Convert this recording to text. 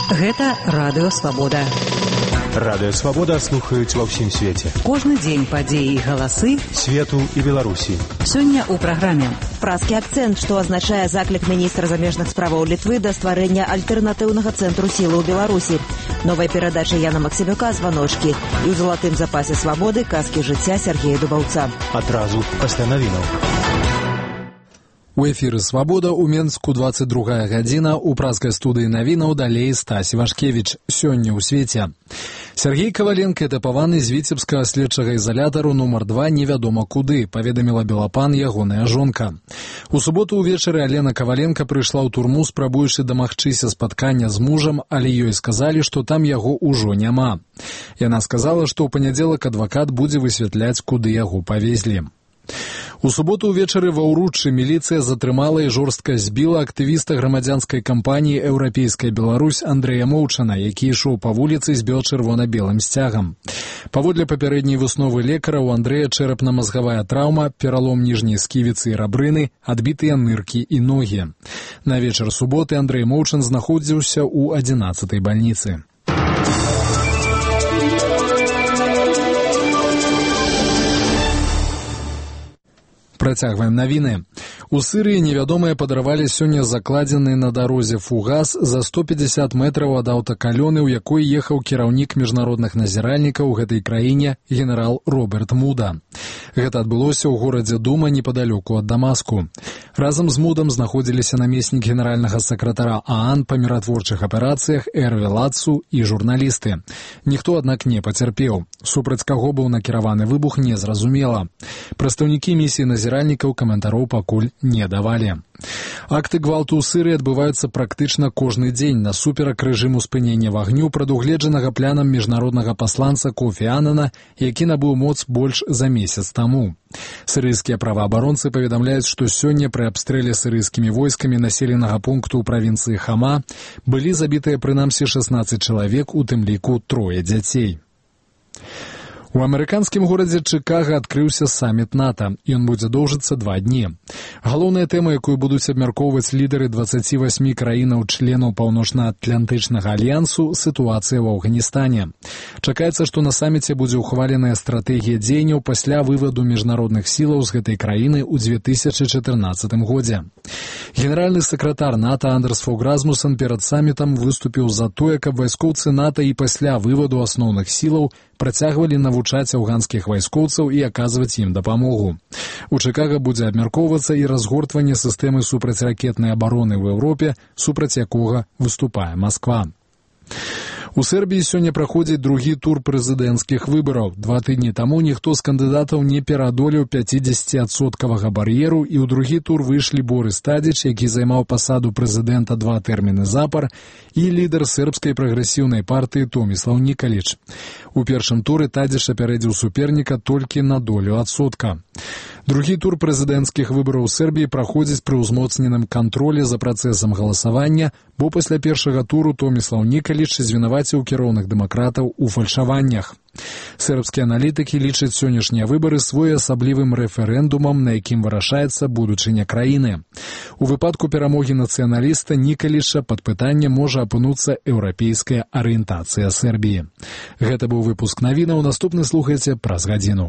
Гэта Радыё Свабода. Радыё Свабода слухаюць ва ўсім свеце. Кожны дзень падзеі і галасы свету і Беларусі. Сёння ў праграме. Празкі акцэнт, што азначае заклік міністра замежных справаў Літвы да стварэння альтэрнатыўнага цэнтру сілы ў Беларусі. Новая перадача Яна Максімюка «Званочкі» і ў залатым запасе свабоды казкі жыцця Сергея Дубаўца. Адразу пасля навінаў. У эфіры «Свабода» у Менску 22 гадзіна, у празкай студыі навінаў далей Стась Івашкевіч. Сёння ў свеце. Сергей Коваленко этапаваны з віцебскага следчага ізалятару нумар 2 невядома куды, паведаміла Белапан ягоная жонка. У суботу ўвечары Алена Коваленко прыйшла ў турму, спрабуючы дамагчыся спаткання з мужам, але ёй сказалі, што там яго ўжо няма. Яна сказала, што ў панядзелак адвакат будзе высвятляць, куды яго павезлі. У суботу ўвечары ва Ўруччы міліцыя затрымала і жорстка збіла актывіста грамадзянскай кампаніі «Еўрапейская Беларусь» Андрэя Моўчана, які ішоў па вуліцы з бел-чырвона-белым сцягам. Паводле папярэдняй высновы лекара, у Андрэя чэрапна-мазгавая траўма, пералом ніжняй сківіцы і рабрыны, адбітыя ныркі і ногі. На вечар суботы Андрэй Моўчан знаходзіўся ў 11-й бальніцы. Працягваем навіны. У Сырыі невядомыя падарвалі сёння закладзены на дарозе фугас за 150 метраў ад аўтакалёны, у якой ехаў кіраўнік міжнародных назіральнікаў у гэтай краіне генерал Роберт Муда. Гэта адбылося ў горадзе Дума непадалёку ад Дамаску. Разам з Мудам знаходзіліся намеснік генеральнага сакратара ААН па міратворчых аперацыях Эрві Лацу і журналісты. Ніхто, аднак, не пацярпеў. Супраць каго быў накіраваны выбух, незразумела. Прадстаўнікі місіі назіральнікаў каментароў пакуль не давалі. Акты гвалту ў Сырыі адбываюцца практычна кожны дзень насуперак рэжыму спынення вагню, прадугледжанага планам міжнароднага пасланца Кофі Аннана, які набыў моц больш за месяц таму. Сырыйскія праваабаронцы паведамляюць, што сёння пры абстрэле сырыйскімі войскамі населенага пункту ў правінцыі Хама былі забітыя прынамсі 16 чалавек, у тым ліку 3 дзяцей. У амерыканскім горадзе Чыкага адкрыўся саміт НАТО. Ён будзе доўжыцца 2 дні. Галоўная тэма, якую будуць абмяркоўваць лідары 28 краінаў-членаў Паўночна-Атлантычнага альянсу, сітуацыя ў Афганістане. Чакаецца, што на саміце будзе ўхваленая стратэгія дзеянняў пасля вываду міжнародных сілаў з гэтай краіны ў 2014 годзе. Генеральны сакратар НАТО Андерс Фог Расмуссен перад самітам выступіў за тое, каб вайскоўцы НАТО і пасля вываду асноўных сілаў працягвалі навучаць афганскіх вайскоўцаў і аказваць ім дапамогу. У Чыкага будзе абмяркоўвацца і разгортванне сістэмы супрацьракетнай абароны ў Еўропе, супраць якога выступае Масква. У Сербіі сёння праходзіць другі тур прэзідэнцкіх выбараў. 2 тыдні таму ніхто з кандыдатаў не пераадолеў 50% бар'еру, і ў другі тур выйшлі Борис Тадзіч, які займаў пасаду прэзідэнта 2 тэрміны запар, і лідар сербскай прагрэсіўнай партыі Томіслав Нікаліч. У першым туры Тадзіч апярэдзіў суперніка толькі на долю адсотка. Другі тур прэзідэнцкіх выбараў у Сербіі праходзіць пры ўзмоцненым кантролі за працэсам галасавання, бо пасля першага туру Томіслав Нікаліч звінаваціў кіроўных дэмакратаў у фальшаваннях. Сербскія аналітыкі лічаць сённяшнія выбары своеасаблівым рэферэндумам, на якім вырашаецца будучыня краіны. У выпадку перамогі нацыяналіста Нікаліча пад пытанне можа апынуцца еўрапейская арыентацыя Сербіі. Гэта быў выпуск навінаў, наступны слухайце праз гадзіну.